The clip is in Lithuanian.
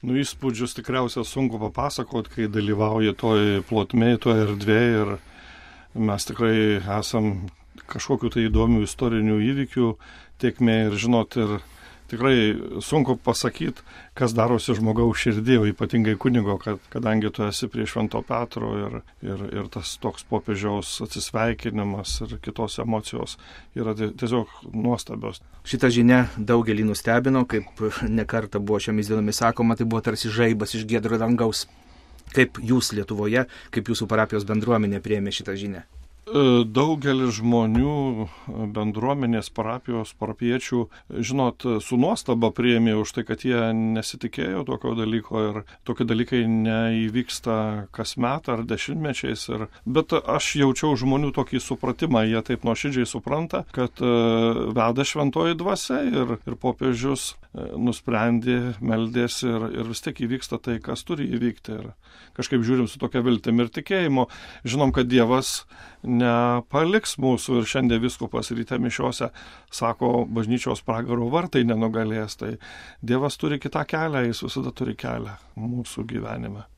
Įspūdžius tikriausiai sunku papasakot, kai dalyvauji toj plotmėj, toj erdvėj ir mes tikrai esam kažkokiu tai įdomių istorinių įvykių tiekmė ir žinot, ir tikrai sunku pasakyti, kas darosi žmogaus širdį, o ypatingai kunigo, kadangi tu esi prie Švento Petro ir tas toks popiežiaus atsisveikinimas ir kitos emocijos yra tiesiog nuostabios. Šita žinia daugelį nustebino, kaip nekarta buvo šiomis dienomis sakoma, tai buvo tarsi žaibas iš giedro dangaus. Kaip jūs Lietuvoje, kaip jūsų parapijos bendruomenė priėmė šitą žinią? Daugelis žmonių, bendruomenės, parapiečių, žinot, su nuostaba priėmė už tai, kad jie nesitikėjo tokio dalyko ir tokie dalykai neįvyksta kasmet ar dešimtmečiais. Bet aš jaučiau žmonių tokį supratimą, jie taip nuoširdžiai supranta, kad veda šventoji dvasia ir popiežius nusprendė, meldėsi ir vis tiek įvyksta tai, kas turi įvykti. Ir kažkaip žiūrim su tokia viltim ir tikėjimu. Žinom, kad Dievas nepaliks mūsų ir šiandien vyskupas ryte mišiose sako, bažnyčios pragaro vartai nenugalės. Tai Dievas turi kitą kelią, jis visada turi kelią mūsų gyvenime.